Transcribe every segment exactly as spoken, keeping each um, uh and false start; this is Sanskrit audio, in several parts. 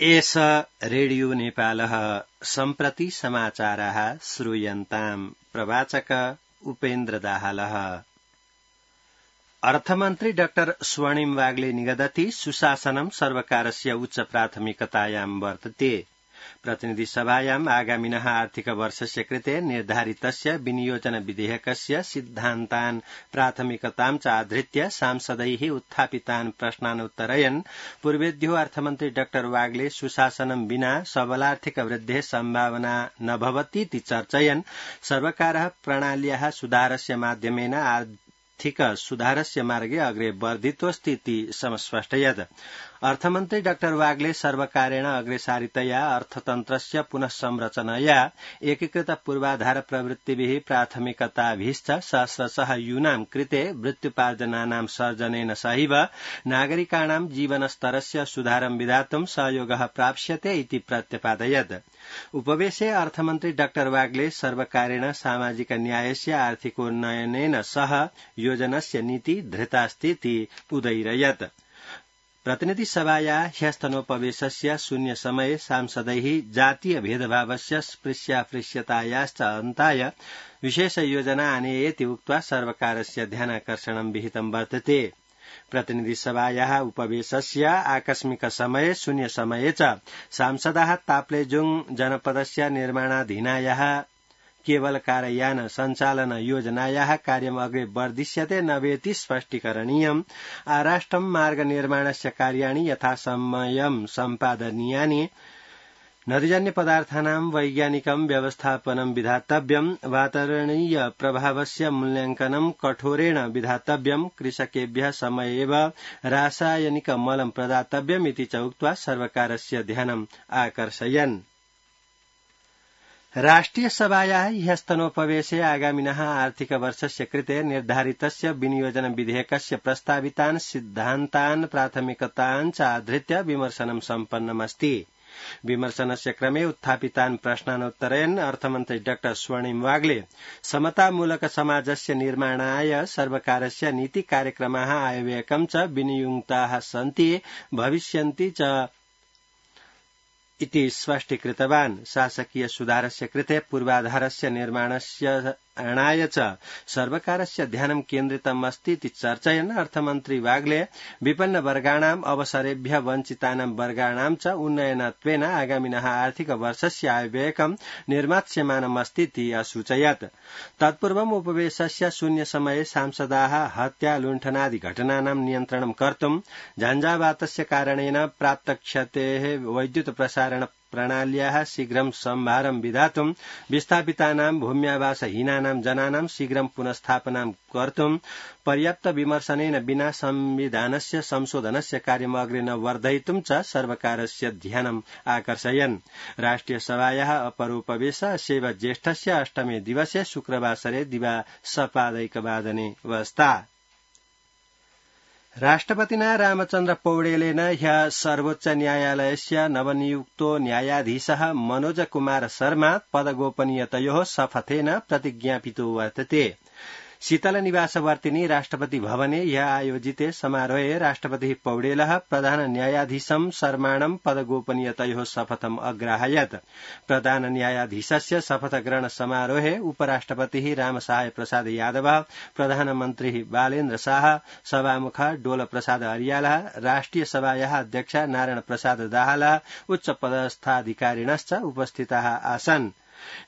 एष रेडियो नेपालः सम्प्रति समाचाराः श्रूयन्ताम् प्रवाचक उपेन्द्र दाहालः। अर्थमन्त्री डाक्टर स्वर्णिम वाग्ले निगदति सुशासनं सर्वकारस्य उच्च प्राथमिकतायां वर्तते। प्रतिनिधि सभायाम् आगामिनः आर्थिक वर्षस्य कृते निर्धारितस्य विनियोजन विधेयकस्य सिद्धान्तान् प्राथमिकतां च आधृत्य सांसदैः उत्थापितान् प्रश्नानुत्तरयन् पूर्वेद्यो अर्थमन्त्री डाक्टर वाग्ले सुशासनं विना सबलार्थिक वृद्धेः सम्भावना न भवतीति चर्चयन् सर्वकारः प्रणाल्याः सुधारस्य माध्यमेन आर्थिक सुधारस्य मार्गे अग्रे वर्धितोऽस्तीति समस्पष्टयत्। अर्थमन्त्री डाक्टर वाग्ले सर्वकारेण अग्रेसारितया अर्थतन्त्रस्य पुनः संरचनया एकीकृत पूर्वाधार प्रवृत्तिभिः प्राथमिकताभिश्च सहस्रशः यूनां कृते वृत्त्युपार्जनानां सर्जनेन सहैव नागरिकाणां जीवनस्तरस्य सुधारं विधातुं सहयोगः प्राप्स्यते इति प्रत्यपादयत्। उपवेशे अर्थमन्त्री डाक्टर वाग्ले सर्वकारेण सामाजिक न्यायस्य आर्थिकोन्नयनेन सह योजनस्य नीति धृतास्तीति उदयिरयत्। प्रतिनिधि सभाया ह्यस्तनोपवेशस्य शून्य समये सांसदैः जातीय भेदभावस्य स्पृश्यापृश्यतायाश्च अन्ताय विशेष योजना आनेयेति उक्त्वा सर्वकारस्य ध्यानाकर्षणं विहितं वर्तते। प्रतिनिधि सभायाः उपवेशस्य आकस्मिक समये शून्य समये च सांसदाः ताप्लेजुङ जनपदस्य निर्माणाधीनायाः केवल कारयान सञ्चालन योजनायाः कार्यम् अग्रे वर्धिष्यते नवेति स्पष्टीकरणीयम्। आराष्ट्रं मार्ग निर्माणस्य कार्याणि यथासमयं सम्पादनीयानि। नदीजन्य पदार्थानां वैज्ञानिकं व्यवस्थापनं विधातव्यम्। वातावरणीय प्रभावस्य मूल्यांकनं कठोरेण विधातव्यम्। कृषकेभ्यः समयेव रासायनिक मलं प्रदातव्यम् इति च उक्त्वा सर्वकारस्य ध्यानम् आकर्षयन्। राष्ट्रिय सभायाः ह्यस्तनोपवेशे आगामिनः आर्थिक वर्षस्य कृते निर्धारितस्य विनियोजन विधेयकस्य प्रस्तावितान् सिद्धान्तान् प्राथमिकतान् च आधृत्य विमर्शनं सम्पन्नमस्ति। विमर्शनस्य क्रमे उत्थापितान् प्रश्नानुत्तरयन् अर्थमन्त्री डाक्टर स्वर्णिम वाग्ले समतामूलक समाजस्य निर्माणाय सर्वकारस्य नीति कार्यक्रमाः आयव्ययकं च विनियुक्ताः सन्ति भविष्यन्ति च इति स्पष्टीकृतवान्। शासकीय सुधारस्य कृते पूर्वाधारस्य निर्माणस्य अणाय च सर्वकारस्य ध्यानं केन्द्रितम् अस्ति इति चर्चयन् अर्थमन्त्री वाग्ले विपन्न वर्गाणाम् अवसरेभ्यः वञ्चितानां वर्गाणां च उन्नयनत्वेन आगामिनः आर्थिक वर्षस्य आयव्ययकं निर्मास्यमानम् अस्ति इति असूचयत्। तत्पूर्वम् उपवेशस्य शून्य समये सांसदाः हत्या लुण्ठनादि घटनानां नियन्त्रणं कर्तुं झञ्झावातस्य कारणेन प्राप्त क्षतेः वैद्युत प्रसारण प्रणाल्याः शीघ्रं सम्भारं विधातुं विस्थापितानां भूम्यावासहीनानां जनानां शीघ्रं पुनस्थापनां कर्तुं पर्याप्त विमर्शनेन विना संविधानस्य संशोधनस्य कार्यम् अग्रे न वर्धयितुं च सर्वकारस्य ध्यानम् आकर्षयन्। राष्ट्रिय सभायाः अपरोपवेश अशेव ज्येष्ठस्य अष्टमे दिवसे शुक्रवासरे दिवा सपादैकवादने वस्ता। राष्ट्रपतिना रामचन्द्र पौडेलेन ह्यः सर्वोच्च न्यायालयस्य नवनियुक्तो न्यायाधीशः मनोज कुमार शर्मा पदगोपनीयतयोः शपथेन प्रतिज्ञापितो वर्तते। शीतल निवासवर्तिनी राष्ट्रपति भवने ह्यः आयोजिते समारोहे राष्ट्रपतिः पौडेलः प्रधान न्यायाधीशं शर्माणं पदगोपनीयतयोः शपथम् अग्राहयत्। प्रधान न्यायाधीशस्य शपथग्रहण समारोहे उपराष्ट्रपतिः रामसहाय प्रसाद यादव, प्रधानमन्त्री बालेन्द्र शाह, सभामुख डोल प्रसाद अर्यालः, राष्ट्रिय सभायाः अध्यक्ष नारायण प्रसाद दाहालः उच्च पदस्थाधिकारिणश्च उपस्थिताः आसन्।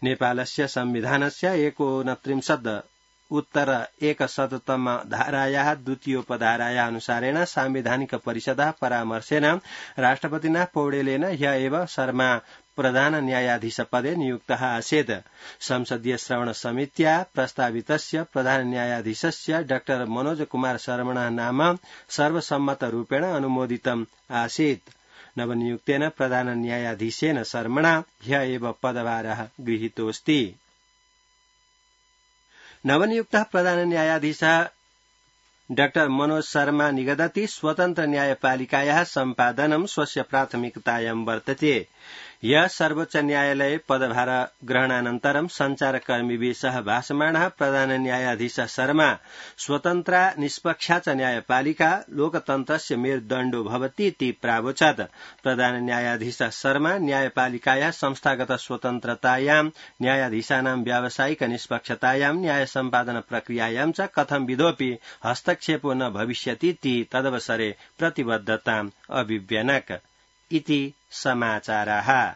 नेपालस्य संविधानस्य एकोनत्रिंशत् उत्तर एकशततम धारायाः द्वितीयोपधारायाः अनुसारेण सांविधानिक परिषदः परामर्शेन राष्ट्रपतिना पौडेलेन ह्यः एव शर्मा प्रधान न्यायाधीश पदे नियुक्तः आसीत्। संसदीय श्रवण समित्या प्रस्तावितस्य प्रधान न्यायाधीशस्य डाक्टर मनोज कुमार शर्मणः नाम सर्वसम्मतरूपेण अनुमोदितम् आसीत्। नवनियुक्तेन प्रधान न्यायाधीशेन शर्मणा ह्यः एव पदभारः गृहीतोऽस्ति। नवनियुक्तः प्रधान न्यायाधीशः डाक्टर मनोज शर्मा निगदति स्वतन्त्र न्यायपालिकायाः सम्पादनं स्वस्य प्राथमिकतायां वर्तते। यः सर्वोच्च न्यायालये पदभार ग्रहणानन्तरं सञ्चारकर्मिभिः सह भाषमाणः प्रधान न्यायाधीश शर्मा स्वतन्त्रा निष्पक्षा च न्यायपालिका लोकतन्त्रस्य मेरुदण्डो भवति इति प्रावोचत्। प्रधान न्यायाधीश शर्मा न्यायपालिकायाः संस्थागत स्वतन्त्रतायां न्यायाधीशानां व्यावसायिक निष्पक्षतायां न्याय सम्पादन प्रक्रियायां च कथंविधोऽपि हस्तक्षेपो न भविष्यति इति तदवसरे प्रतिबद्धताम् अभिव्यनक। इति समाचाराः।